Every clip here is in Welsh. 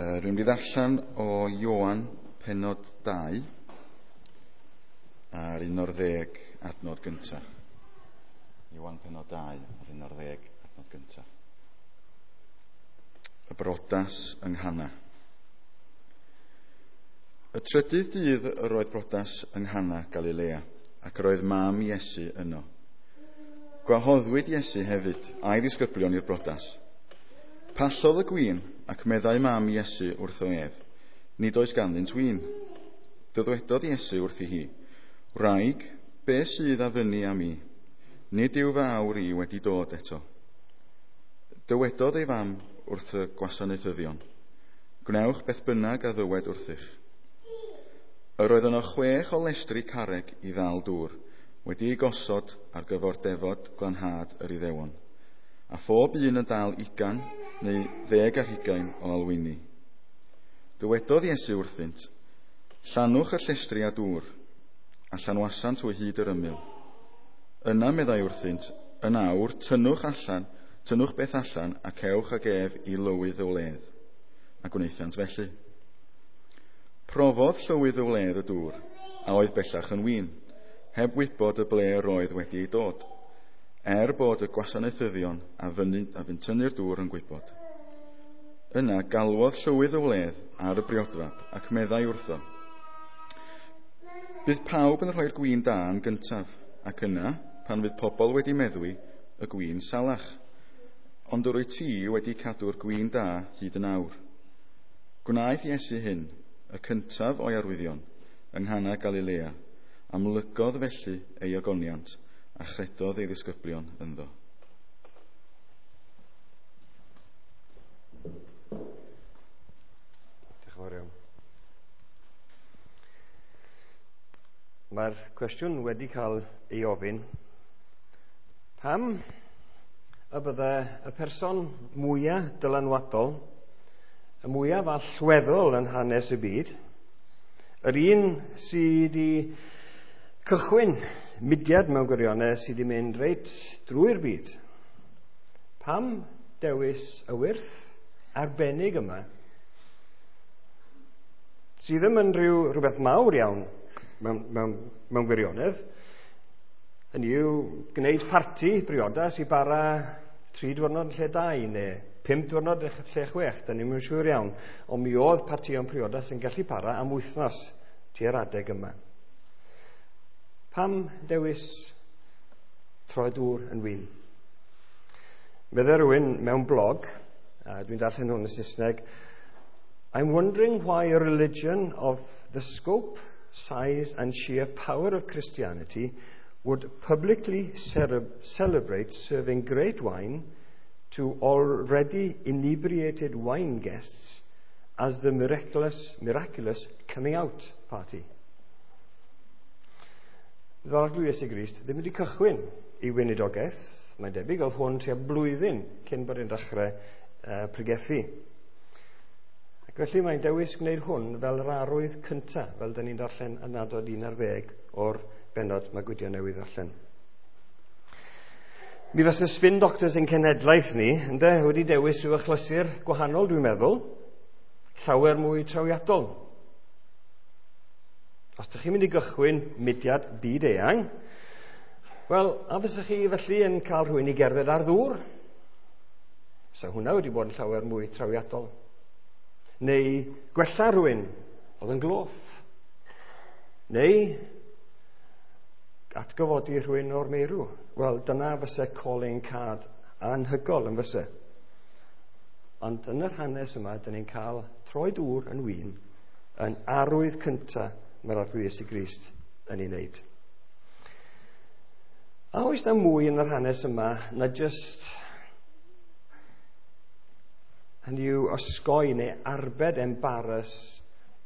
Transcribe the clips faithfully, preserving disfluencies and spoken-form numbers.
Uh, rwy'n mynd i ddarllen o Ioan pennod dau a'r un o'r ddeg adnod gyntaf. Ioan pennod dau a'r un o'r ddeg adnod gyntaf. Y brodas yng Nghana. Y trydydd dydd yr oedd brodas yng Nghana, Galilea, ac yr oedd mam Iesu yno. Gwahoddwyd Iesu hefyd a'i ddisgyblion i'r brodas. Pallodd y gwin, ac meddai mam Iesu wrtho ef, nid oes ganddynt win. Dywedodd Iesu wrthi hi, wraig, be sydd a fyny â mi? Nid yw fy awr i wedi dod eto. Dywedodd ei fam wrth y gwasanaethyddion, gwnewch beth bynnag a ddywed wrthych. Yr oedd yno chwech o lestri carreg i ddal dŵr, wedi ei gosod ar gyfer defod glanhad yr Iddewon, a phob un yn dal ugain neu ddeg ar hugain o alwyni. Dywedodd Iesu wrthynt, llanwch y llestri â dŵr, a llanwasant o hyd yr ymyl. Yna meddai wrthynt, yn awr, tynnwch allan, tynnwch beth allan, ac ewch ag ef i lywydd y wledd. A gwnaethant felly. Profodd llywydd y wledd y dŵr, a oedd bellach yn win, heb wybod y ble yr oedd wedi ei dod, er bod y gwasanaethyddion a fynd, a fynd tynnu'r dŵr yn gwybod. Yna galwodd llywydd y wledd ar y briodfab ac meddai wrtho, bydd pawb yn rhoi'r gwin da yn gyntaf, ac yna, pan fydd pobl wedi meddwi, y gwin salach. Ond yr wyt ti wedi cadw'r gwin da hyd yn awr. Gwnaeth Iesu hyn, y cyntaf o'i arwyddion, yng Nghana Galilea, amlygodd felly ei ogoniant, a chredodd ei ddisgyblion ynddo. Diolch yn fawr iawn. Mae'r cwestiwn wedi cael ei ofyn, pam y bydde y person mwyaf dylanwadol, y mwyaf allweddol yn hanes y byd, yr un sydd wedi cychwyn mudiad mewn gwirionedd sydd wedi mynd reit drwy'r byd, pam dewis y wyrth arbennig yma, sydd ddim yn rhyw, rhywbeth mawr iawn mewn, mewn, mewn gwirionedd, hynny yw gwneud parti briodas i bara tri diwrnod yn lle dau neu pump diwrnod yn lle chwech, da ni'm yn siŵr iawn, ond mi oedd partïon priodas yn gallu para am wythnos tua'r adeg yma. Pam dewis troi dŵr yn win? Meddai rhywun mewn blog, a dwi'n darllen hwn yn Saesneg, I'm wondering why a religion of the scope, size and sheer power of Christianity would publicly celebrate serving great wine to already inebriated wine guests as the miraculous, miraculous coming out party. Fydd Arglwydd Iesu Grist ddim wedi cychwyn i weinidogaeth, mae'n debyg, oedd hwn tua blwyddyn cyn bod e'n dechrau uh, pregethu. Ac felly mae'n dewis gwneud hwn fel yr arwydd cyntaf, fel dyn ni'n darllen yn adnod un ar ddeg o'r bennod mae Gwydion newydd ddarllen. Mi fysa spin doctors ein cenhedlaeth ni, ynde, wedi dewis rhyw achlysur gwahanol, dwi'n meddwl, llawer mwy trawiadol. Os ydych chi'n mynd i gychwyn mudiad byd eang, wel, a fysach chi felly yn cael rhywun i gerdded ar ddŵr? So hwnna wedi bod yn llawer mwy trawiadol. Neu gwella rhywun oedd yn gloff. Neu atgyfodi rhywun o'r meirw. Wel, dyna fysa calling card anhygol yn fysa. Ond yn yr hanes yma, dyn ni'n cael troi dŵr yn win yn arwydd cyntaf mae'r Arglwydd Iesu Grist yn ei wneud. A oes na mwy yn yr hanes yma na just hynny yw osgoi neu arbed embarrass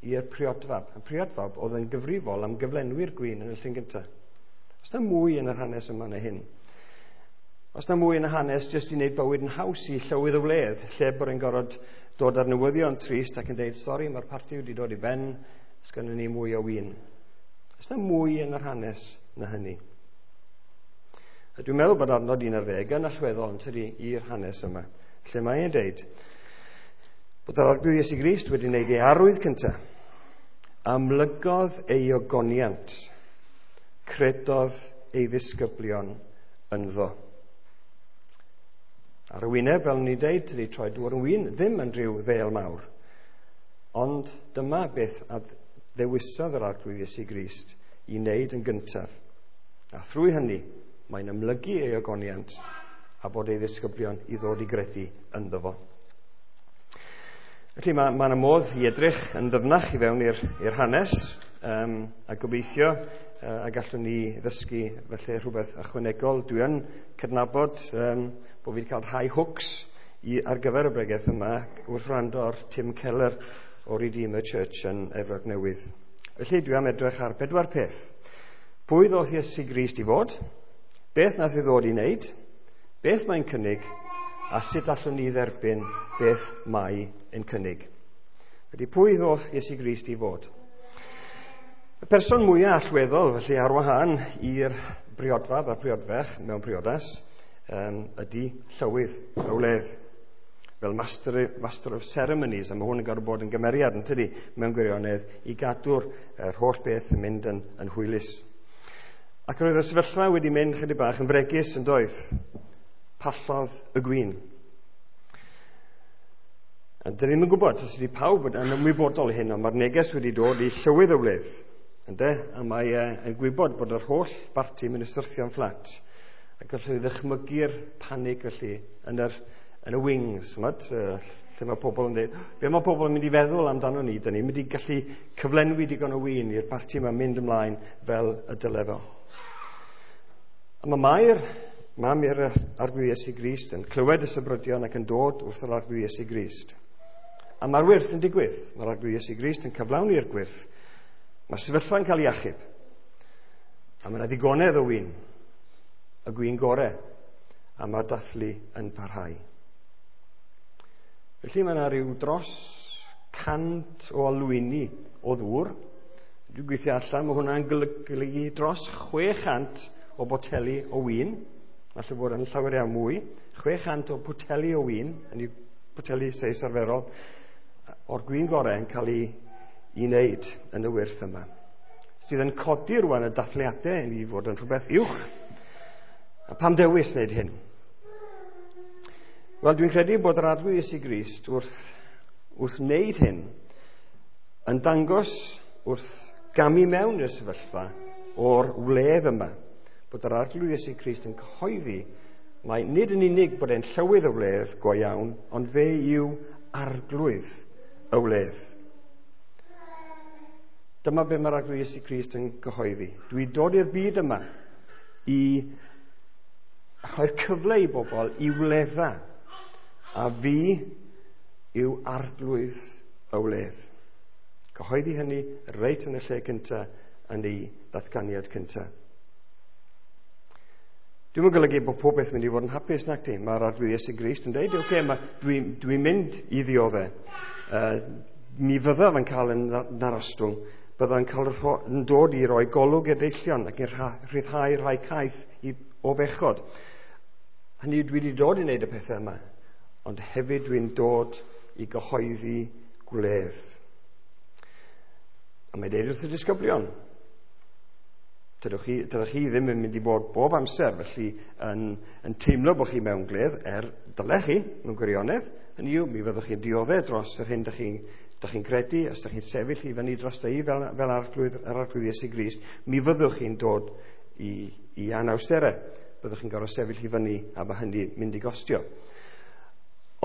i'r priodfab. Y priodfab oedd yn gyfrifol am gyflenwi'r gwin yn y llun gyntaf. Oes na mwy yn yr hanes yma na hyn? Oes na mwy yn y hanes jyst i wneud bywyd yn haws i llywydd y wledd, lle bod e'n gorfod dod ar newyddion trist ac yn deud, sori, mae'r parti wedi dod i ben, sgynnon ni mwy o win. Oes na mwy yn yr hanes na hynny? A dwi'n meddwl bod adnod un ar ddeg yn allweddol yn tydi i'r hanes yma, lle mae'n deud, Bod yr Arglwydd Iesu Grist wedi wneud ei arwydd cyntaf. Amlygodd ei ogoniant. Credodd ei ddisgyblion ynddo. Ar y wyneb, fel ni'n deud, tydi troi dŵr yn win ddim yn rhyw ddêl mawr. Ond dyma beth a ddewisodd yr Arglwydd Iesu Grist i wneud yn gyntaf. A thrwy hynny, mae'n amlygu ei ogoniant a bod ei ddisgyblion i ddod i gredu ynddo fo. Felly mae yna modd i edrych yn ddyfnach i fewn i'r hanes, um, a gobeithio uh, a gallwn ni ddysgu felly rhywbeth ychwanegol. Dwi yn cydnabod um, bod fi wedi cael rhai hooks i, ar gyfer y bregeth yma wrth wrando ar Tim Keller o Redeemer Church yn Efrog Newydd. Felly dwi am edrych ar bedwar peth. Pwy ddoth Iesu Grist i fod? Beth nath ei ddod i wneud? Beth mae'n cynnig? A sut allwn ni dderbyn beth mae yn cynnig? Felly pwy ddoth Iesu Grist i fod? Y person mwyaf allweddol, felly ar wahân i'r briodfab a'r priodferch mewn priodas, um, ydy llywydd y wledd. Fel master, master of ceremonies, a mae hwn yn gorfod bod yn gymeriad, yn tydi, mewn gwirionedd, i gadw'r er, holl beth yn mynd yn, yn hwylus. Ac roedd y sefyllfa wedi mynd chydig bach yn fregus yn doedd. Pallodd y gwin. A dyn ni'm yn gwybod os ydy pawb yn ymwybodol hyn, ond mae'r neges wedi dod i llywydd y wledd. Ynde? A mae yn gwybod bod yr holl barti mynd i syrthio'n fflat. A gallwn ni ddychmygu'r panig felly yn yr, yn y wings, ch'mod, lle mae pobl yn dweud, be mae pobl yn mynd i feddwl amdano ni, dyn ni'n mynd i gallu cyflenwi digon o win i'r parti yma mynd ymlaen fel y dyle fo. A mae Mair, mam i'r Arglwydd Iesu Grist, yn clywed y sybrydion ac yn dod wrth yr Arglwydd Iesu Grist. A mae'r wyrth yn digwydd. Mae'r Arglwydd Iesu Grist yn cyflawni'r gwyrth. Mae'r sefyllfa'n cael ei achub. A mae yna ddigonedd o win, y gwin gore, a mae'r dathlu yn parhau. Felly mae yna rhyw dros cant o alwyni o ddŵr. Dwi'n gweithio allan, mae hwnna'n golygu dros chwe chant o boteli o win. Falle bod yn llawer iawn mwy. chwe chant o boteli o win, yn ei boteli seis arferol, o'r gwin gorau yn cael ei, ei wneud yn y wyrth yma. Sydd yn codi rwan y dathliadau i fod yn rhywbeth uwch. A pam dewis wneud hyn? Wel, dwi'n credu bod yr Arglwydd Iesu Grist wrth, wrth wneud hyn yn dangos wrth gamu mewn i'r sefyllfa o'r wledd yma, bod yr Arglwydd Iesu Grist yn cyhoeddi mai nid yn unig bod e'n llywydd y wledd go iawn, ond fe yw Arglwydd y wledd. Dyma be mae'r Arglwydd Iesu Grist yn cyhoeddi. Dwi'n dod i'r byd yma i rhoi'r cyfle i bobl i wledda, a fi yw Arglwydd y wledd. Cyhoeddi hynny reit yn y lle cyntaf yn ei ddatganiad cyntaf. Dwi'm yn golygu bod pob beth mynd i fod yn hapus, nac di. Mae'r Arglwydd Iesu Grist yn dweud, oce, okay, dwi'n dwi mynd i ddioddau. Uh, mi fyddaf yn cael yn narostwng, byddaf yn cael yn dod i roi golwg i'r deillion ac yn rhyddhau rhai caeth i, o bechod. Hynny dwi wedi dod i wneud y pethau yma, ond hefyd dwi'n dod i gyhoeddi gwledd. A mae dweud wrth y disgyblion, dydych chi, dydych chi ddim yn mynd i bod bob amser felly yn, yn teimlo bod chi mewn gwledd, er dylech chi mewn gwirionedd. Hynny yw, mi fyddwch chi'n dioddef dros yr hyn dych chi'n dych chi'n credu, os dych chi'n sefyll i fyny dros i fel, fel arglwydd, yr Arglwydd Iesu Grist, mi fyddwch chi'n dod i, i anawsterau. Byddwch chi'n gorfod sefyll i fyny a mae hynny mynd i gostio.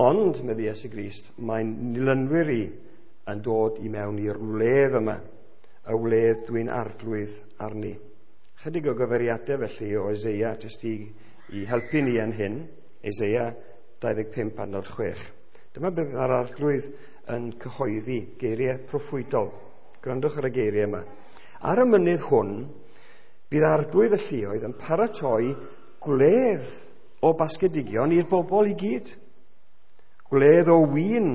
Ond, medde Iesu Grist, mae'n nilynwyr i yn dod i mewn i'r wledd yma, y wledd dwi'n arglwydd arni. Chydig o gyfeiriadau felly o Eseia, jyst i, i helpu ni yn hyn, Eseia dau ddeg pump adnod chwech. Dyma beth mae'r Arglwydd yn cyhoeddi, geiriau proffwydol. Gwrandwch ar y geiriau yma. Ar y mynydd hwn, bydd Arglwydd y lluoedd yn paratoi gwledd o basgedigion i'r bobl i gyd. Gwledd o win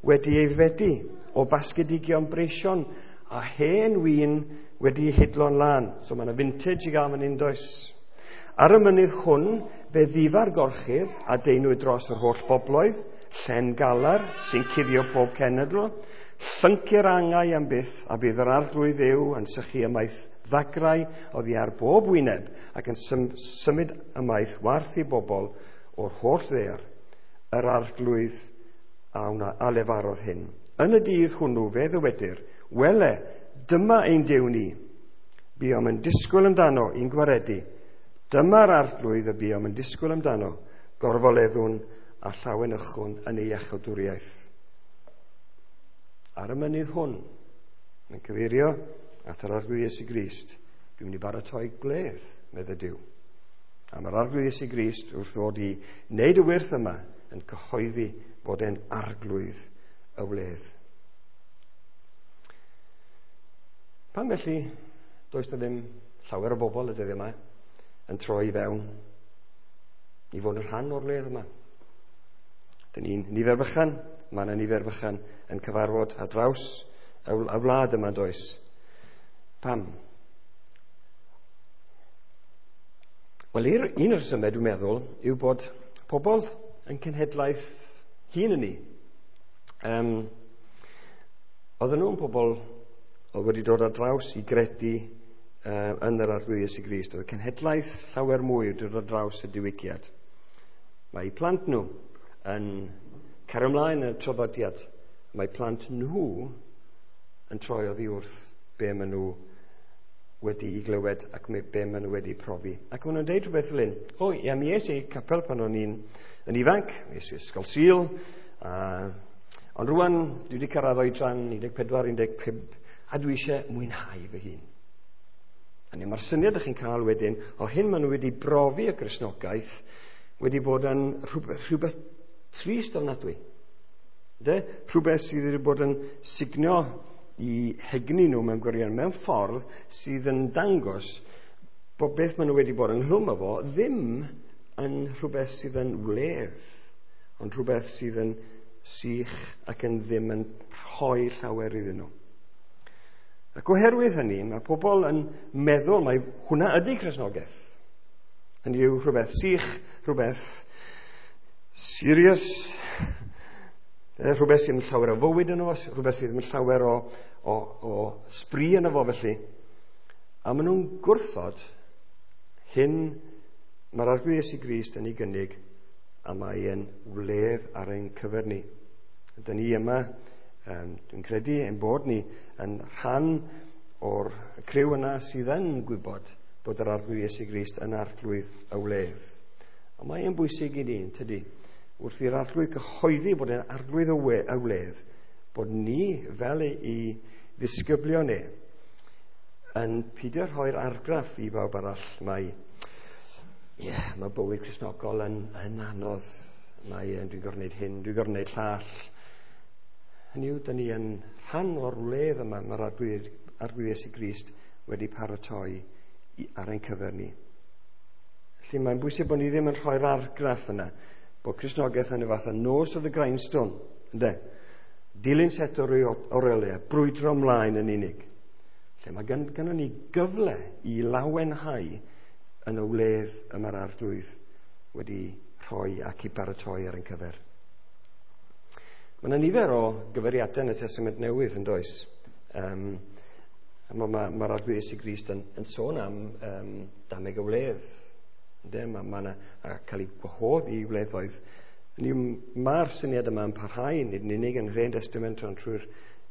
wedi ei fedi, o basgedigion breision, a hen win wedi ei hidlo'n lân. So mae yna vintage i gael fan hyn, does? Ar y mynydd hwn, fe ddifa'r gorchudd a deinwyd dros yr holl bobloedd, Llen galar sy'n cuddio pob cenedl, llyncu'r angau am byth, a bydd yr Arglwydd Dduw yn sychu ymaith ddagrau oddi ar bob wyneb ac yn symud ymaith warth i bobl o'r holl ddaear. Yr Arglwydd a, wna, a lefarodd hyn. Yn y dydd hwnnw fe ddywedir, wele, dyma ein Duw ni. Buom yn disgwyl amdano i'n gwaredu. Dyma'r Arglwydd y buom yn disgwyl amdano, gorfoleddwn a llawenychwn yn ei iachawdwriaeth. Ar y mynydd hwn, mae'n cyfeirio at yr Arglwydd Iesu Grist, dwi'n mynd i baratoi gwledd, medde Duw. A mae'r Arglwydd Iesu Grist wrth ddod i wneud y wyrth yma yn cyhoeddi bod e'n arglwydd y wledd. Pam felly, does na ddim llawer o bobl y dyddiau yma yn troi i fewn i fod yn rhan o'r wledd yma. Dyn ni'n nifer bychan, mae yna nifer bychan yn cyfarfod ar draws y wlad yma, does? Pam? Wel, un o'r rhesymau dwi'n meddwl yw bod pobl yn cenhedlaeth hun yn ni. Um, oedden nhw'n pobl oedd wedi dod ar draws i gredu uh, yn yr Arglwydd Iesu Grist. Oedd y cenhedlaeth llawer mwy wedi dod ar draws y diwygiad. Mae plant nhw yn cario ymlaen yn y traddodiad. Mae plant nhw yn troi oddi wrth be maen nhw wedi'i glywed ac be maen nhw wedi profi. Ac maen nhw'n deud rhywbeth fel hyn. O, ia, mi es i capel pan o'n i'n yn ifanc, mi es i ysgol Sul, a, ond rwan dwi wedi cyrraedd oedran un deg pedwar, un deg pump, a dwi eisiau mwynhau fy hun. A mae'r syniad ych chi'n cael wedyn, o hyn maen nhw wedi brofi y Gristnogaeth, wedi bod yn rhywbeth, rhywbeth trist ofnadwy. De? Rhywbeth sydd wedi bod yn signio i hegni nhw mewn gwirionedd, mewn ffordd sydd yn dangos bod beth maen nhw wedi bod ynghlwm efo ddim yn rhywbeth sydd yn wledd, ond rhywbeth sydd yn sych ac yn ddim yn rhoi llawer iddyn nhw. Ac oherwydd hynny, mae pobl yn meddwl mai hwnna ydy Cristnogaeth. Hynny yw rhywbeth sych, rhywbeth serious, rhywbeth sydd yn llawer o fywyd yno fo, rhywbeth sydd yn llawer o, o, o sbri yno fo felly. A maen nhw'n gwrthod hyn mae'r Arglwydd Iesu Grist yn ei gynnig, a mae e'n wledd ar ein cyfer ni. Dyn ni yma, um, dwi'n credu ein bod ni yn rhan o'r criw yna sydd yn gwybod bod yr Arglwydd Iesu Grist yn arglwydd y wledd. Ond mae e'n bwysig i ni, tydi? Wrth i'r Arglwydd gyhoeddi bod e'n arglwydd y wledd, bod ni fel ei ddisgyblion e yn peidio rhoi'r argraff i bawb arall mai ie, yeah, mae bywyd Cristnogol yn, yn anodd, mae dwi'n gorfod gwneud hyn, dwi'n gorfod gwneud llall. Hynny yw, dyn ni yn rhan o'r wledd yma mae'r Arglwydd, Arglwydd Iesu Grist wedi paratoi i, ar ein cyfer ni. Felly mae'n bwysig bod ni ddim yn rhoi'r argraff yna, bod Cristnogaeth yn y fath o nose to the grindstone, ynde? Dilyn set o reoliau, brwydro ymlaen yn unig. Lle mae gen, gennym ni gyfle i lawenhau yn y wledd y mae'r Arglwydd wedi rhoi ac i baratoi ar ein cyfer. Mae yna nifer o gyfeiriadau yn y Testament Newydd yn does. Um, Mae'r ma, ma Arglwydd Iesu Grist yn, yn sôn am um, dameg y wledd. Mae ma yna a cael ei gwahodd i wleddoedd. Mae'r syniad yma yn parhau, nid yn unig yn yr Hen Testament ond trwy'r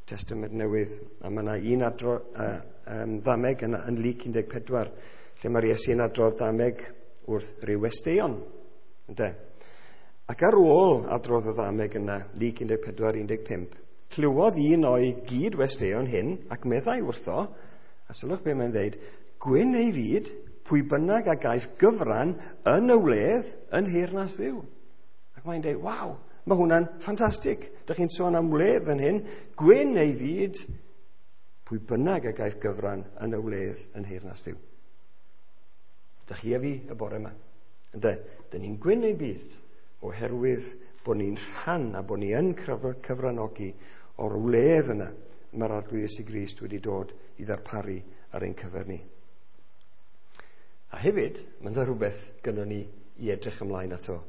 Testament Newydd. A mae yna un adro, uh, um, ddameg yn, yn Luc un deg pedwar, lle mae'r Iesu yn adrodd dameg wrth ryw westeion. Ynde? Ac ar ôl adrodd y ddameg yna, Luc un deg pedwar un deg pump, clywodd un o'i gyd-westeion hyn ac meddai wrtho, a sylwch be mae'n dweud, gwyn ei fyd, pwy bynnag a gaiff gyfran yn y wledd yn nheyrnas Dduw. Ac mae'n dweud, waw, mae hwnna'n ffantastig. Dych chi'n sôn am wledd yn hyn, gwyn ei fyd, pwy bynnag a gaiff gyfran yn y wledd yn nheyrnas Dduw. Dych chi a fi y bore yma. Ynde, dyn ni'n gwyn ei byd oherwydd bod ni'n rhan a bod ni yn cyfranogi o'r wledd yna mae'r Arglwydd Iesu Grist wedi dod i ddarparu ar ein cyfer ni. A hefyd, mae'n rhywbeth gynnon ni i edrych ymlaen ato.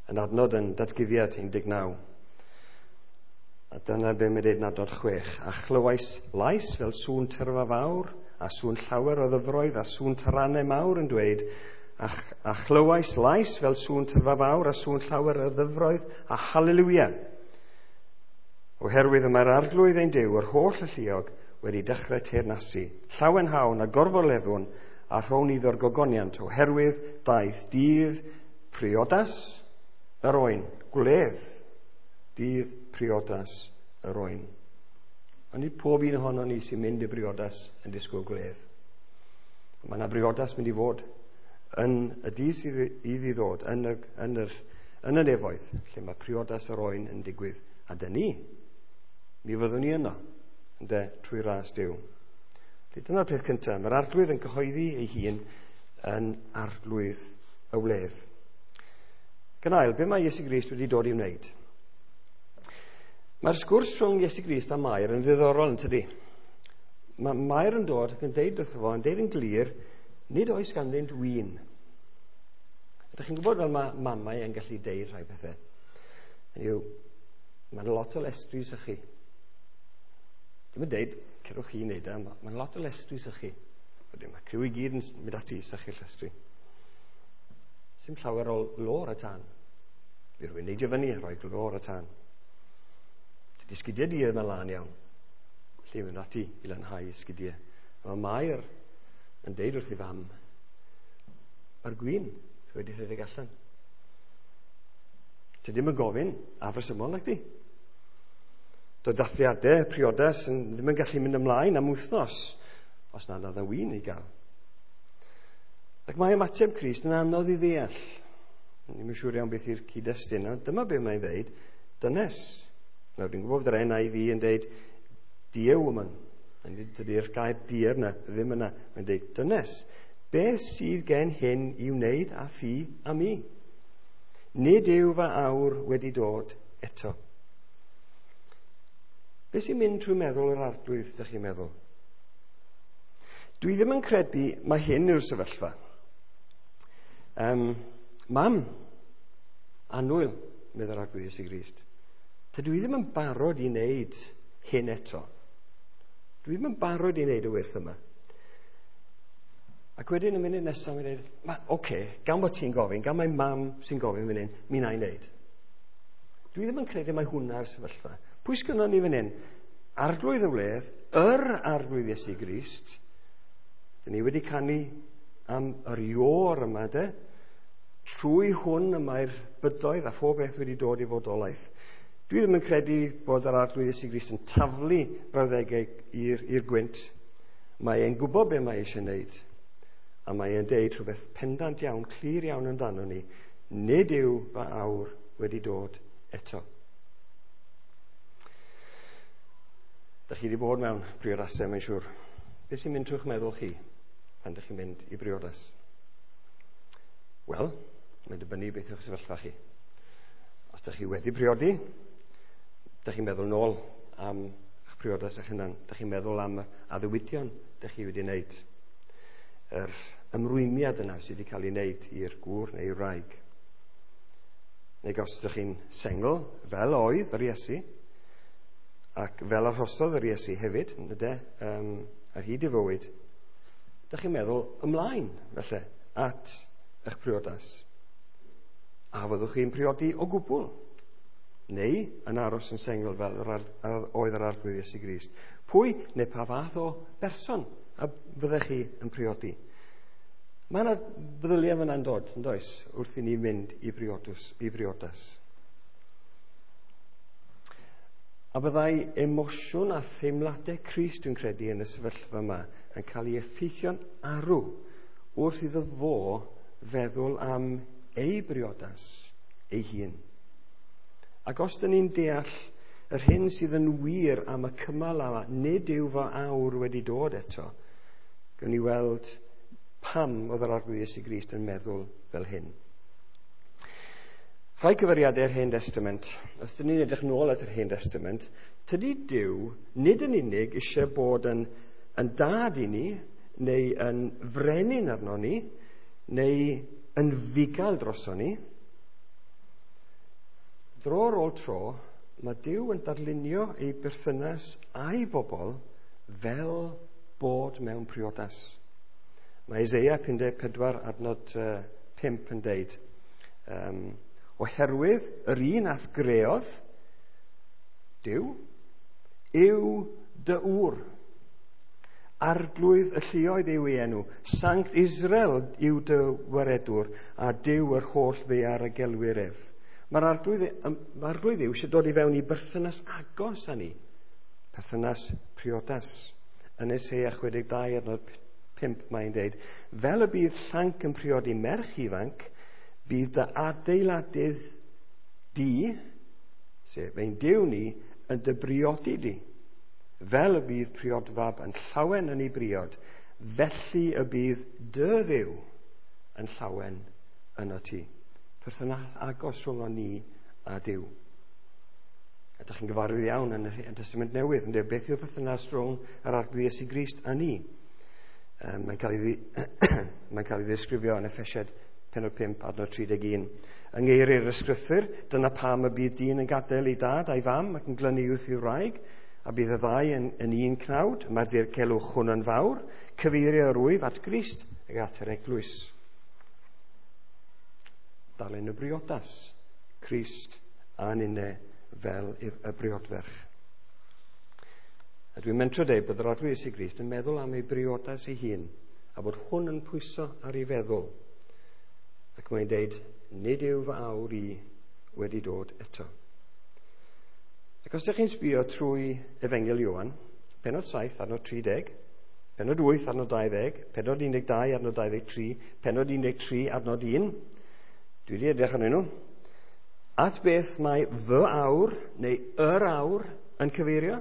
Yn adnod yn Datguddiad un deg naw. A dyna be mae'n dweud yn adnod chwech. A chlywais lais fel sŵn tyrfa fawr, a sŵn llawer o ddyfroedd, a sŵn taranau mawr yn dweud, a, a chlywais lais fel sŵn tyrfa fawr, a sŵn llawer o ddyfroedd, a haleluia. Oherwydd y mae'r Arglwydd ein Duw, yr holl alluog, wedi dechrau teyrnasu. Llawenhawn a gorfoleddwn, a rhown iddo'r gogoniant, oherwydd daeth dydd priodas yr oen, gwledd, dydd priodas yr oen. Ond nid pob un ohono ni sy'n mynd i briodas yn disgwyl gwledd. Mae yna briodas mynd i fod yn y dydd sydd iddi ddod, yn y, yn yr, yn y nefoedd, lle mae priodas yr oen yn digwydd. A dyn ni, mi fyddwn ni yno, ynde, trwy ras Duw. Felly dyna'r peth cyntaf. Mae'r Arglwydd yn cyhoeddi ei hun yn Arglwydd y wledd. Gynail, be mae Iesu Grist wedi dod i wneud? Mae'r sgwrs rhwng Iesu Grist a Mair yn ddiddorol, yn tydi? Mae Mair yn dod ac yn deud wrtho fo, yn deud yn glir, nid oes ganddynt win. Ydych chi'n gwybod fel mae mamau yn gallu deud rhai pethau? Hynny yw, mae'n lot o lestri sychu. Dwi'n yn deud, cerwch chi wneud e, mae'n lot o lestri sychu. Wedyn, mae criw i gyd yn mynd ati i sychu'r llestri. Sim llawer o lo ar y tân. Fi rhywun neidio fyny a rhoi glo ar y tân. Dydy sgidiau di ddim yn lân iawn. Felly mynd ati i lanhau sgidiau. A mae Mair yn deud wrth ei fam, mae'r gwin wedi rhedeg allan. Ti ddim yn gofyn afresymol nag di. Doedd dathliadau priodas yn, ddim yn gallu mynd ymlaen am wythnos os nad oedd y win i gael. Ac mae ymateb Crist yn anodd i ddeall. Ddim yn siŵr iawn beth yw'r cyd-destun. Dyma beth mae'n dweud, dynes. Nawr, dwi'n gwybod bod yr N I V yn dweud, dear woman. Dydy'r gair dear na, ddim yna. Mae'n dweud, dynes, beth sydd gen hyn i wneud â thi a mi? Nid yw fy awr wedi dod eto. Beth sy'n mynd trwy meddwl yr Arglwydd, ydych chi'n meddwl? Dwi ddim yn credu mae hyn yw'r sefyllfa. Um, mam, annwyl, meddwl Arglwydd Iesu Grist. Tydw i ddim yn barod i wneud hyn eto. Dwi ddim yn barod i wneud y wyrth yma. Ac wedyn y munud nesaf mae'n dweud, oce, okay, gan bod ti'n gofyn, gan mae mam sy'n gofyn fan hyn, mi wna i wneud. Dwi ddim yn credu mai hwnna'r sefyllfa. Pwy sgynnon ni fan hyn? Arglwydd y wledd, yr Arglwydd Iesu Grist. Dyn ni wedi canu am yr ior yma, de. Trwy hwn y mae'r bydoedd a phob beth wedi dod i fodolaeth. Dwi ddim yn credu bod yr Arglwydd Iesu Grist yn taflu brawddegau i'r, i'r gwynt. Mae e'n gwybod be mae eisiau wneud. A mae e'n deud rhywbeth pendant iawn, clir iawn amdano ni. Nid yw fy awr wedi dod eto. Dach chi wedi bod mewn priodasau, mae'n siŵr. Beth sy'n mynd trwy'ch meddwl chi pan dych chi'n mynd i briodas? Wel, mae'n dibynnu beth yw'ch sefyllfa chi. Os dych chi wedi priodi, dych chi'n meddwl nôl am eich priodas eich hunan. Dych chi'n meddwl am addewidion dych chi wedi wneud. Yr ymrwymiad yna sydd wedi cael ei wneud i'r gŵr neu'r wraig. Neu os ydych chi'n sengl, fel oedd yr Iesu, ac fel arhosodd yr Iesu hefyd, ynde, um, ar hyd ei fywyd, ydych chi'n meddwl ymlaen, felly, at eich priodas. A fyddwch chi'n priodi o gwbl, neu yn aros yn sengl fel yr ar, oedd yr Arglwydd Iesu Grist. Pwy neu pa fath o berson a fyddech chi yn priodi? Mae yna feddyliau fyna'n dod, yn does, wrth i ni mynd i briodus, i briodas. A byddai emosiwn a theimladau Crist, dwi'n credu, yn y sefyllfa yma yn cael ei effeithio'n arw wrth iddo fo feddwl am ei briodas ei hun. Ac os dyn ni'n deall yr hyn sydd yn wir am y cymal yma, nid yw fy awr wedi dod eto, gawn ni weld pam oedd yr Arglwydd Iesu Grist yn meddwl fel hyn. Rhai cyfeiriadau'r Hen Testament, os dyn ni'n edrych nôl at yr Hen Testament, tydi Duw nid yn unig eisiau bod yn, yn dad i ni, neu yn frenin arno ni, neu yn fugail droso ni. Dro ar ôl tro, mae Duw yn darlunio ei berthynas a'i bobl fel bod mewn priodas. Mae Eseia pum deg pedwar adnod pump yn deud, um, oherwydd yr un a'th greodd, Duw, yw dy ŵr. Arglwydd y lluoedd yw ei enw, Sanct Israel yw dy waredwr, a Duw yr holl ddaear y gelwir ef. Mae'r arglwydd, mae'r arglwydd yw eisiau dod i fewn i berthynas agos â ni, perthynas priodas. Yn Eseia chwe deg dau adnod pump mae'n deud, fel y bydd llanc yn priodi merch ifanc, bydd dy adeiladydd di, sef ein Duw ni, yn dy briodi di. Fel y bydd priodfab yn llawen yn ei briod, felly y bydd dy Dduw yn llawen yno ti. Perthynas agos rhwng ni a Duw. A ydych chi'n gyfarwydd iawn yn y Testament Newydd, yn dweud beth yw'r perthynas rhwng yr Arglwydd Iesu Grist a ni. Um, mae'n cael ei, mae'n cael ei ddisgrifio yn Effesiaid pennod pump, adnod tri deg un. Yng ngeiriau'r ysgrythur, dyna pam y bydd dyn yn gadael ei dad a'i fam ac yn glynu wrth ei wraig, a bydd y ddau yn, yn un cnawd. Mae'r dirgelwch hwn yn fawr, cyfeirio yr wyf at Grist ac at yr eglwys. Darllen y briodas, Crist a ninne fel y briodferch. A dwi'n mentro dweud bod yr Arglwydd Iesu Grist yn meddwl am ei briodas ei hun, a bod hwn yn pwyso ar ei feddwl. Ac mae'n deud, nid yw fy awr i wedi dod eto. Ac os ydych chi'n sbio trwy Efengyl Ioan, pennod saith, adnod tri deg, pennod wyth, adnod dau ddeg, pennod un deg dau, adnod dau ddeg tri, pennod un deg tri, adnod un, dwi wedi edrych arnyn nhw, at beth mae fy awr, neu yr awr, yn cyfeirio?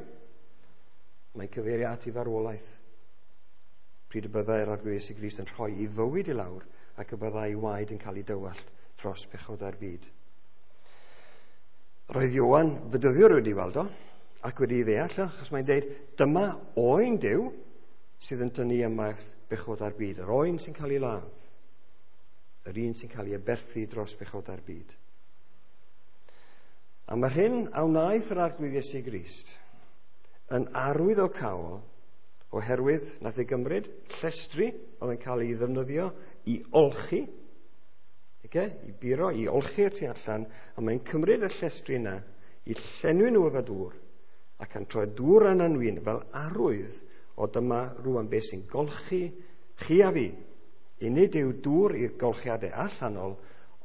Mae'n cyfeirio at ei farwolaeth. Pryd y byddai'r Arglwydd Iesu Grist yn rhoi ei fywyd i lawr ac y byddai ei waed yn cael ei dywallt dros pechodau'r byd. Roedd Ioan fedyddiwr wedi weld o ac wedi ei ddeall, achos mae'n deud, dyma oen Duw sydd yn tynnu ymaith bechodau'r byd, yr oen sy'n cael ei ladd, yr un sy'n cael ei aberthu dros bechodau'r byd. A mae'r hyn a wnaeth yr Arglwydd Iesu Grist yn arwydd o cawl, oherwydd nath ei gymryd llestri oedd yn cael ei ddefnyddio i olchi, okay, i buro, i olchi'r tu allan, a mae'n cymryd y llestri yna i llenwi nhw efo dŵr ac yn troi dŵr yna'n win fel arwydd o dyma rwan beth sy'n golchi chi a fi. I nid yw dŵr i'r golchiadau allanol,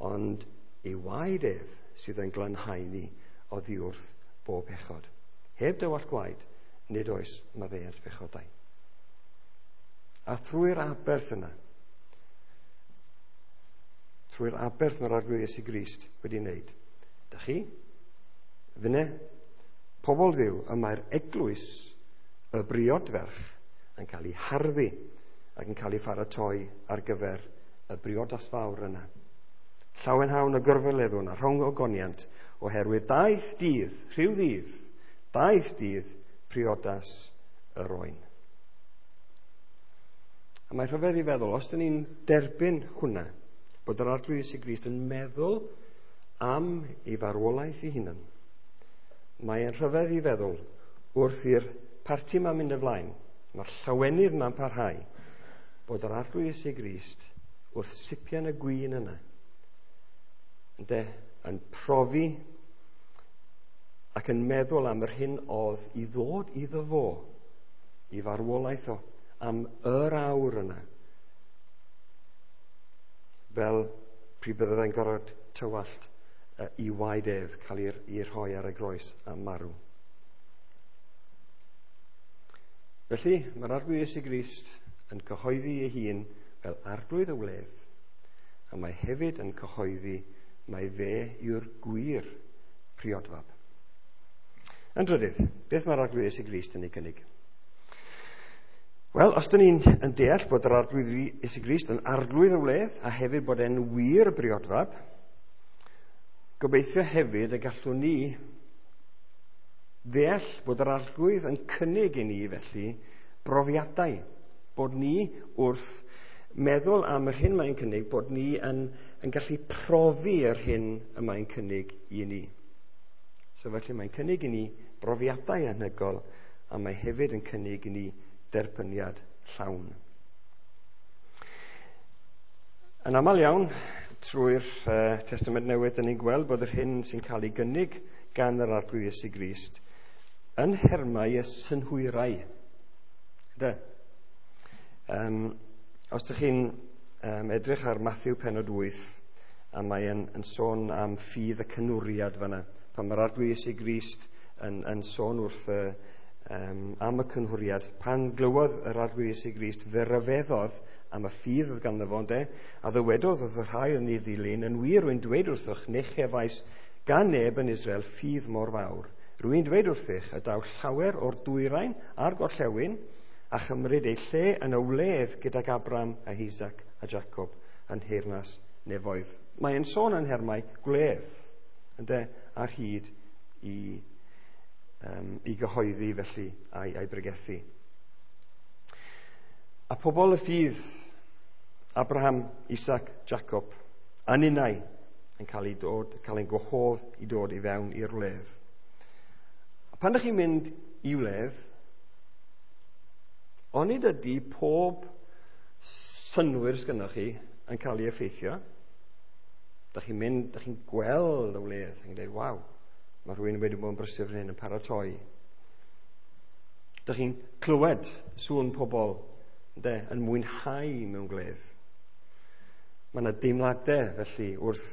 ond ei waed ef sydd yn glanhau ni oddi wrth bob pechod. Heb dywallt gwaed, nid oes maddeuant pechodau. A thrwy'r aberth yna, trwy'r aberth mae'r Arglwydd Iesu Grist wedi wneud, dych chi, finne, pobl Dduw, y mae'r eglwys, y briodferch, yn cael ei harddu ac yn cael ei pharatoi ar gyfer y briodas fawr yna. Llawenhawn y gorfoleddwn a rhwng ogoniant, oherwydd daeth dydd, rhyw ddydd, daeth dydd priodas yr oen. A mae rhyfedd i feddwl, os dyn ni'n derbyn hwnna, bod yr Arglwydd Iesu Grist yn meddwl am ei farwolaeth ei hunan, mae'n rhyfedd i feddwl wrth i'r parti ma'n mynd ymlaen, mae'r llawenydd ma'n parhau, bod yr Arglwydd Iesu Grist wrth sipian y gwin yna, ynde, yn profi ac yn meddwl am yr hyn oedd i ddod iddo fo, i farwolaeth o, am yr awr yna, fel pryd bydde fe'n gorfod tywallt i waed ef, cael ei rhoi ar y groes a marw. Felly, mae'r Arglwydd Iesu Grist yn cyhoeddi ei hun fel Arglwydd y wledd, a mae hefyd yn cyhoeddi mai fe yw'r gwir priodfab. Yn drydydd, beth mae'r Arglwydd Iesu Grist yn ei gynnig? Wel, os dyn ni'n yn deall bod yr Arglwydd Iesu Grist yn Arglwydd y wledd a hefyd bod e'n wir briodfab, gobeithio hefyd y gallwn ni ddeall bod yr Arglwydd yn cynnig i ni felly brofiadau, bod ni wrth meddwl am yr hyn mae'n cynnig, bod ni yn, yn gallu profi yr hyn y mae'n cynnig i ni. So felly mae'n cynnig i ni brofiadau anhygoel, a mae hefyd yn cynnig i ni derbyniad llawn. Yn aml iawn, trwy'r uh, Testament Newydd, dyn ni'n gweld bod yr hyn sy'n cael ei gynnig gan yr Arglwydd Iesu Grist yn nhermau y synhwyrau. De? Um, os ydych chi'n um, edrych ar Matthew pennod wyth, a mae yn, yn sôn am ffydd y cynwriad fanna, pan mae'r Arglwydd Iesu Grist yn, yn sôn wrth y, um, am y cynhwriad, pan glywodd yr Arglwydd Iesu Grist, fe ryfeddodd am y ffydd oedd ganddo fo, ynde, a ddywedodd wrth y rhai oedd yn ei ddilyn, yn wir rwy'n dweud wrthych, ni chefais gan neb yn Israel ffydd mor fawr. Rwy'n dweud wrthych y daw llawer o'r dwyrain a'r gorllewin a chymryd eu lle yn y wledd gydag Abraham a Isaac a Jacob yn nheyrnas nefoedd. Mae'n sôn yn nhermau gwledd, ynde, ar hyd i, um, i gyhoeddi felly a'i, a'i bregethu. A pobl y ffydd, Abraham, Isaac, Jacob, a ninnau yn cael ei dod, cael ein gwahodd i dod i fewn i'r wledd. A pan ydych chi'n mynd i wledd, onid ydy pob synnwyr sgynnoch chi yn cael ei effeithio? Dych chi'n mynd, dych chi'n gweld y wledd, yn dweud, waw, mae rhywun wedi bod yn brysur fan hyn yn paratoi. Dych chi'n clywed sŵn pobl, ynde, yn mwynhau mewn gwledd. Mae yna deimladau felly wrth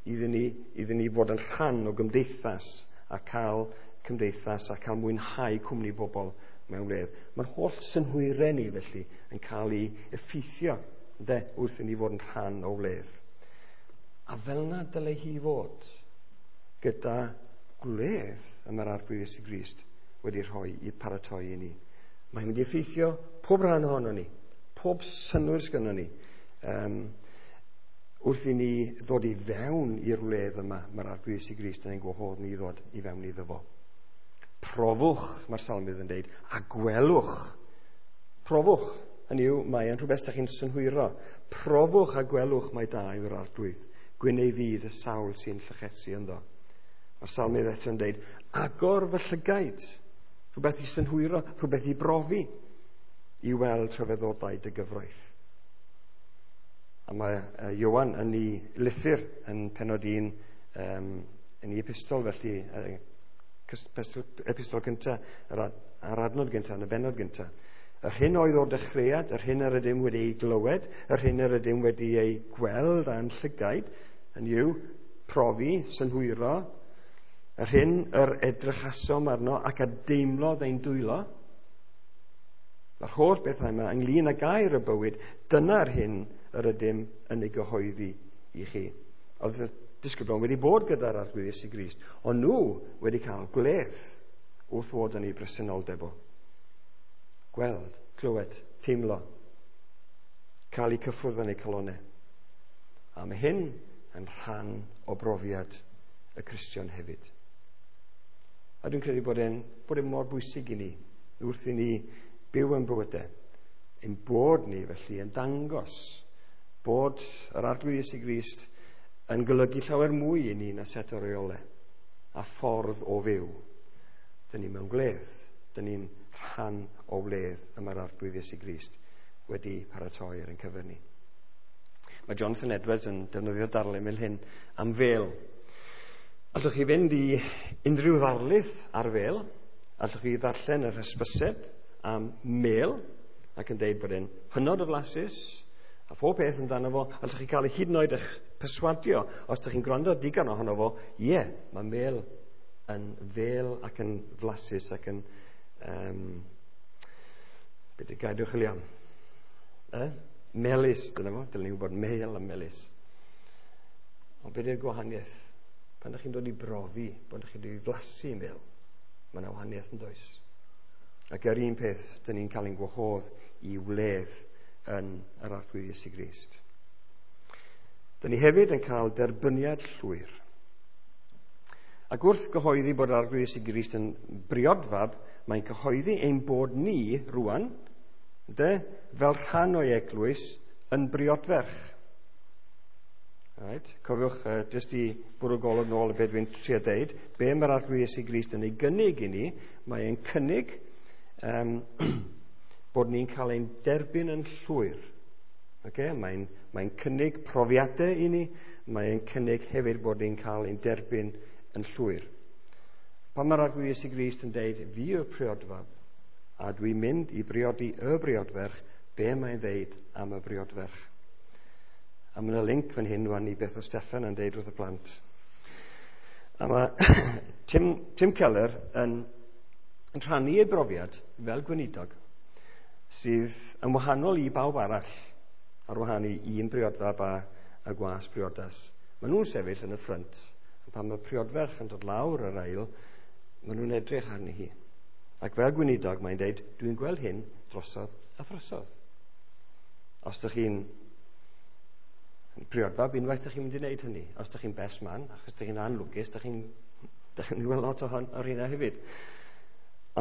iddyn ni, iddyn ni fod yn rhan o gymdeithas a cael cymdeithas a cael mwynhau cwmni bobl mewn wledd. Mae'r holl synhwyrau ni felly yn cael ei effeithio, ynde, wrth i ni fod yn rhan o wledd. A fel yna dylai hi fod gyda gwledd y mae'r Arglwydd Iesu Grist wedi rhoi i paratoi i ni. Mae'n mynd i effeithio pob rhan ohono ni, pob synnwyr sgynnon ni. Um, wrth i ni ddod i fewn i'r wledd yma, mae'r Arglwydd Iesu Grist yn ein gwahodd ni i ddod i fewn iddo fo. Profwch, mae'r salmydd yn deud, a gwelwch. Profwch, hynny yw, mae yn rhywbeth ydych chi'n synhwyro. Profwch a gwelwch mai da yw'r Arglwydd. Gwyn ei fyd y sawl sy'n llychesu ynddo. Mae'r salmydd eto yn deud, agor fy llygaid, rhywbeth i synhwyro, rhywbeth i brofi, i weld rhyfeddodau dy gyfraith. A mae Ioan yn ei lythyr yn pennod un, um, yn ei epistol felly, epistol gyntaf, yr, yr adnod gyntaf, yn y bennod gyntaf. Yr hyn oedd o'r dechreuad, yr hyn yr ydym wedi ei glywed, yr hyn yr ydym wedi ei gweld a'n llygaid, yn yw profi, synhwyro, yr hyn yr edrychasom arno ac a deimlodd ein dwylo. Mae'r holl bethau yma ynglyn â gair y bywyd, dyna'r hyn yr ydym yn ei gyhoeddi i chi. Oedd y disgyblion wedi bod gyda'r Arglwydd Iesu Grist, ond nhw wedi cael gwledd wrth fod yn ei bresenoldeb o. Gweld, clywed, teimlo, cael eu cyffwrdd yn eu calonnau. A mae hyn yn rhan o brofiad y Cristion hefyd. A dwi'n credu bod e'n bod e'n mor bwysig i ni, wrth i ni byw yn bywydau, ein bod ni felly yn dangos bod yr Arglwydd Iesu Grist yn golygu llawer mwy i ni na set o reolau a ffordd o fyw. Dyn ni mewn gwledd, dyn ni'n rhan o wledd y mae'r Arglwydd Iesu Grist wedi paratoi ar ein cyfer ni. Mae Jonathan Edwards yn defnyddio darlun fel hyn am fel. Allwch chi fynd i unrhyw ddarlith ar fel, allwch chi ddarllen yr hysbyseb am mel ac yn deud bod e'n hynod o flasus a phob peth amdano fo. Allwch chi cael ei hyd yn oed eich perswadio os ydych chi'n gwrando digon ohono fo, ie, yeah, mae mel yn fel ac yn flasus ac yn um, beth yw'r gair dwi'n chwilio am? Eh? Melys, dyna fo, dylen ni wybod mel a melys. Ond beth yw'r gwahaniaeth? Pan ydych chi'n dod i brofi, pan ydych chi'n dod i flasu mel, mae yna wahaniaeth yn does. Ac yr un peth, dyn ni'n cael ein gwahodd i wledd yn yr Arglwydd Iesu Grist. Dyn ni hefyd yn cael derbyniad llwyr. Ac wrth gyhoeddi bod yr Arglwydd Iesu Grist yn briodfab, mae'n cyhoeddi ein bod ni rwan, de, fel rhan o'i eglwys, yn briodferch. Right? Cofiwch, uh, jyst i bwrw golwg nôl y beth dwi'n trio deud, be mae'r Arglwydd Iesu Grist yn ei gynnig i ni, mae e'n cynnig um, bod ni'n cael ein derbyn yn llwyr. Okay? Mae'n mae cynnig profiadau i ni, mae'n cynnig hefyd bod ni'n cael ein derbyn yn llwyr. Pan mae'r Arglwydd Iesu Grist yn deud, fi yw'r priodfab, a dwi'n mynd i briodi y briodferch, be mae'n ddeud am y briodferch? A mae yna link fan hyn wan i beth o Steffan yn deud wrth y plant. A mae Tim, Tim Keller yn, yn rhannu ei brofiad fel gweinidog sydd yn wahanol i bawb arall ar wahan i un briodfab a, a gwas briodas. Maen nhw'n sefyll yn y ffrynt, a pan mae priodferch yn dod lawr yr ail, maen nhw'n edrych arni hi. Ac fel gweinidog mae'n deud, dwi'n gweld hyn drosodd a throsodd. Os ydych chi'n priodfab, unwaith ydych chi'n mynd i wneud hynny. Os ydych chi'n best man, achos ydych chi'n anlwcus, ydych chi'n chi'n gweld lot o hon, o'r hynna hefyd.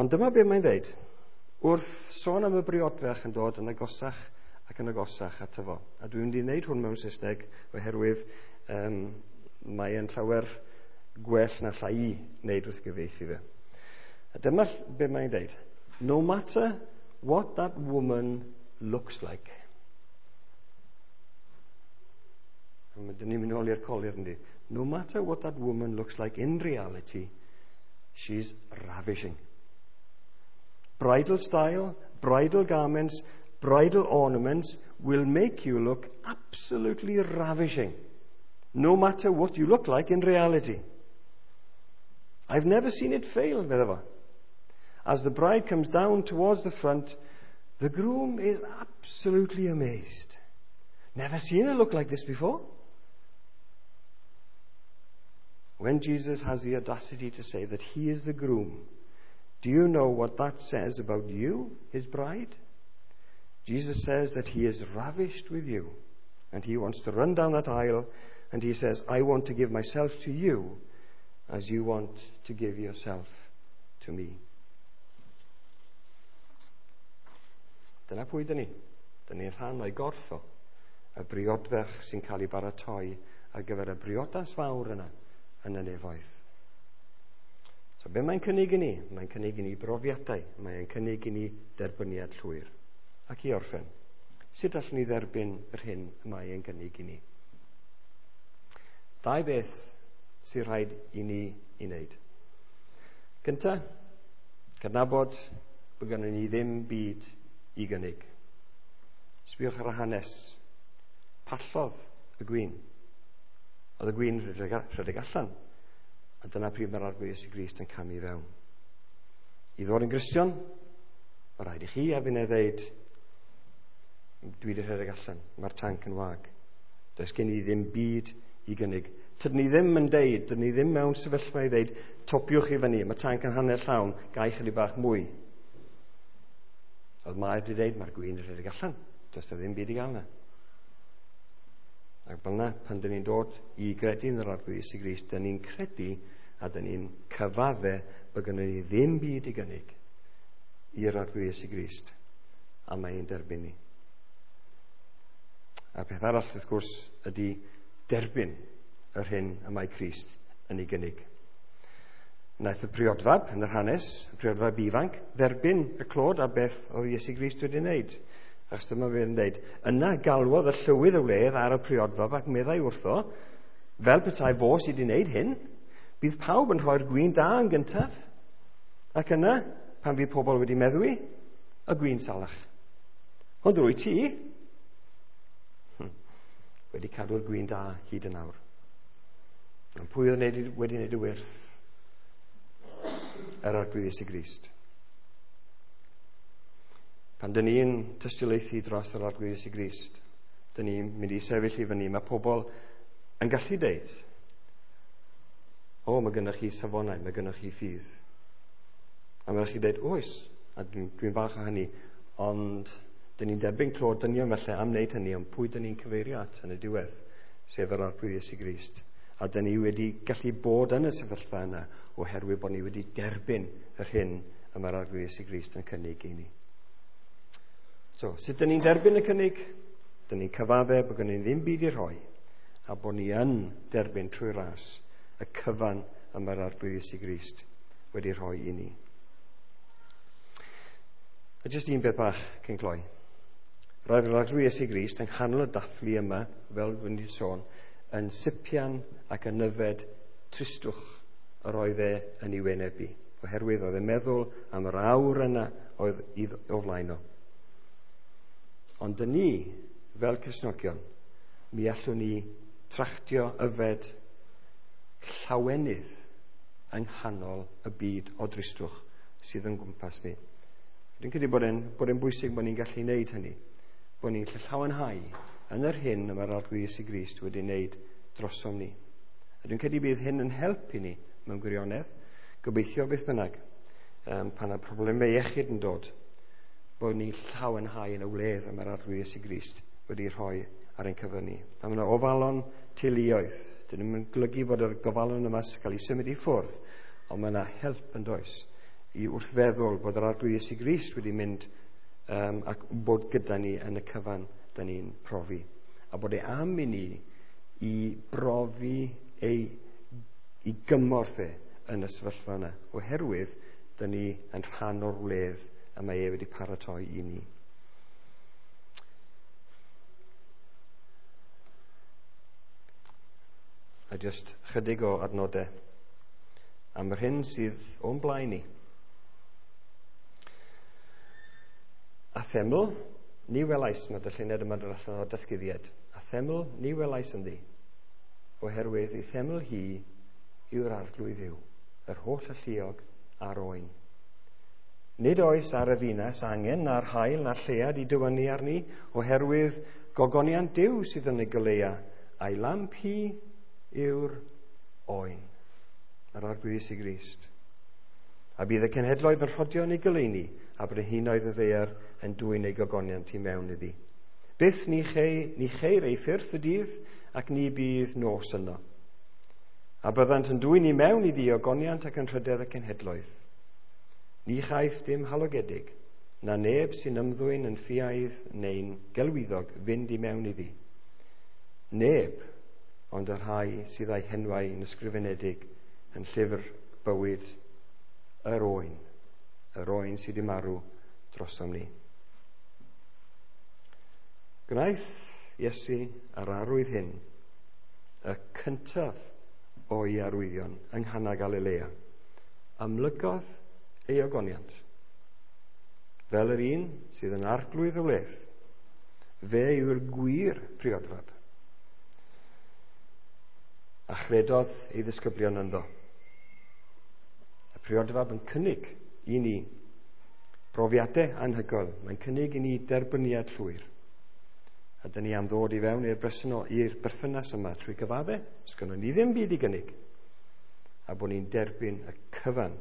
Ond dyma be mae'n dweud. Wrth sôn am y briodferch yn dod yn agosach ac yn agosach ato fo. A dwi'n mynd i wneud hwn mewn Saesneg oherwydd um, mae yn llawer gwell na llai i wneud wrth gyfieithu fe. A dyma be mae'n dweud. No matter what that woman looks like. A dyn ni'n mynd nôl i'r colir yndi. No matter what that woman looks like in reality, she's ravishing. Bridal style, bridal garments, bridal ornaments will make you look absolutely ravishing, no matter what you look like in reality. I've never seen it fail, medda fo. As the bride comes down towards the front, the groom is absolutely amazed. Never seen her look like this before. When Jesus has the audacity to say that he is the groom, do you know what that says about you, his bride? Jesus says that he is ravished with you, and he wants to run down that aisle, and he says, I want to give myself to you as you want to give yourself to me. Dyna pwy dyn ni. Dyn ni'n rhan o'i gorff o, y briodferch sy'n cael ei baratoi ar gyfer y briodas fawr yna yn y nefoedd. So be mae'n cynnig i ni? Mae'n cynnig i ni brofiadau. Mae'n cynnig i ni derbyniad llwyr. Ac i orffen, sut allwn ni dderbyn yr hyn y mae e'n gynnig i ni? Dau beth sy'n rhaid i ni i wneud. Gynta, cydnabod bod gennym ni ddim byd i gynnig. Sbïwch ar y hanes. Pallodd y gwin. Oedd y gwin rhedeg allan. A dyna pryd mae'r Arglwydd Iesu Grist yn camu i fewn. I ddod yn Gristion, mae rhaid i chi a finne ddeud, dwi wedi rhedeg allan, mae'r tanc yn wag. Does gen i ddim byd i gynnig. Tydyn ni ddim yn deud, dydyn ni ddim mewn sefyllfa i ddeud, topiwch i fyny, mae tanc yn hanner llawn, gai chydig bach mwy. Oedd Mair wedi deud, mae'r gwin yn rhedeg allan, does na ddim byd i gael na. Ac fel yna, pan dyn ni'n dod i gredu yn yr Arglwydd Iesu Grist, dyn ni'n credu a dyn ni'n cyfadde bod gynnon ni ddim byd i gynnig i'r Arglwydd Iesu Grist, a mae'n derbyn ni. A'r peth arall, wrth gwrs, ydy derbyn yr hyn y mae Crist yn ei gynnig. Wnaeth y priodfab yn yr hanes, y priodfab ifanc, dderbyn y clod a beth oedd Iesu Grist wedi wneud. Achos dyma fe'n dweud, yna galwodd y llywydd y wledd ar y priodfab ac meddai wrtho, fel petai fo sydd wedi wneud hyn, bydd pawb yn rhoi'r gwin da yn gyntaf. Ac yna, pan fydd pobl wedi meddwi, y gwin salach. Ond rwy ti hmm, wedi cadw'r gwin da hyd yn awr. Ond pwy oedd wedi wneud y wyrth? Yr Arglwydd Iesu Grist. Pan dyn ni'n tystiolaethu dros yr Arglwydd Iesu Grist, dyn ni'n mynd i sefyll i fyny, mae pobl yn gallu deud, o, mae gennych chi safonau, mae gennych chi ffydd. A mae chi deud, oes, a dwi'n dwi falch o hynny, ond dyn ni'n derbyn clod dynion felly am wneud hynny, ond pwy dyn ni'n cyfeirio at yn y diwedd, sef yr Arglwydd Iesu Grist. A dyn ni wedi gallu bod yn y sefyllfa yna oherwydd bod ni wedi derbyn yr hyn y mae'r Arglwydd Iesu Grist yn cynnig i ni. So, sut dyn ni'n derbyn y cynnig? Dyn ni'n cyfadde bod gen ni ddim byd i rhoi, A bod ni yn derbyn trwy ras y cyfan y mae'r Arglwydd Iesu Grist wedi rhoi i ni. A jyst un beth bach cyn cloi. Roedd yr Arglwydd Iesu Grist yng nghanol y dathlu yma, fel dwi'n wedi sôn, yn sipian ac yn yfed tristwch yr oedd e yn ei wynebu, oherwydd oedd e'n meddwl am yr awr yna oedd o flaen o. Ond dyn ni, fel Cristnogion, mi allwn ni trachtio yfed llawenydd yng nghanol y byd o dristwch sydd yn gwmpas ni. Dwi'n credu bod e'n, bod e'n bwysig bod ni'n gallu wneud hynny, bod ni'n gallu llawenhau yn yr hyn y mae'r Arglwydd Iesu Grist wedi wneud drosom ni. A dwi'n credu bydd hyn yn helpu ni mewn gwirionedd, gobeithio beth bynnag, um, pan mae problemau iechyd yn dod, bod ni'n llawenhau yn y wledd y mae'r Arglwydd Iesu Grist wedi rhoi ar ein cyfer ni. A mae yna ofalon teuluoedd. Dyn nhw'n golygu bod yr gofalon yma sy'n cael ei symud i ffwrdd, ond mae yna help yn does i wrth feddwl bod yr Arglwydd Iesu Grist wedi mynd um, ac bod gyda ni yn y cyfan da ni'n profi. A bod e am i ni i brofi ei, i gymorth e yn y sefyllfa yna, oherwydd da ni yn rhan o'r wledd y mae e wedi paratoi i ni. A jyst chydig o adnodau am yr hyn sydd o'n blaen ni. A theml, ni welais, mae darlleniad yma'n dod allan o'r datguddiad. A theml, ni welais ynddi, oherwydd ei theml hi yw'r Arglwydd Dduw, yr holl alluog a'r oen. Nid oes ar y ddinas angen na'r haul na'r lleuad i dywynnu arni, oherwydd gogoniant Duw sydd yn ei goleuo, a'i lamp hi yw'r oen, yr Arglwydd Iesu Grist. A bydd y cenhedloedd yn rhodio yn ei goleuni, a brenhinoedd y ddaear yn dwyn ei gogoniant i mewn iddi. Byth ni, chei, ni cheir ei ffyrth y dydd, ac ni bydd nos yno. A byddant yn dwyn i mewn iddi ogoniant ac yn rhydedd y cenhedloedd. Ni chaiff dim halogedig, na neb sy'n ymddwyn yn ffiaidd neu'n gelwyddog fynd i mewn iddi. Neb, ond y rhai sydd â'i henwau yn ysgrifenedig yn llyfr bywyd yr oen, yr oen sydd wedi marw drosom ni. Gwnaeth Iesu yr arwydd hyn, y cyntaf o'i arwyddion yng Nghana Galilea. Amlygodd ei ogoniant, fel yr un sydd yn arglwydd y wledd. Fe yw'r gwir priodfab. A chredodd ei ddisgyblion ynddo. Y priodfab yn cynnig i ni brofiadau anhygoel. Mae'n cynnig i ni derbyniad llwyr. A dyn ni am ddod i fewn i'r bresennol, i'r berthynas yma trwy gyfadde. Sgynnon ni ddim byd i gynnig. A bod ni'n derbyn y cyfan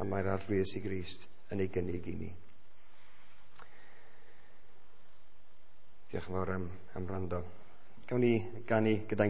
a mae'r Arglwydd Iesu Grist yn ei gynnig i ni. Diolch yn fawr am, am wrando. Gawn ni ganu gyda'n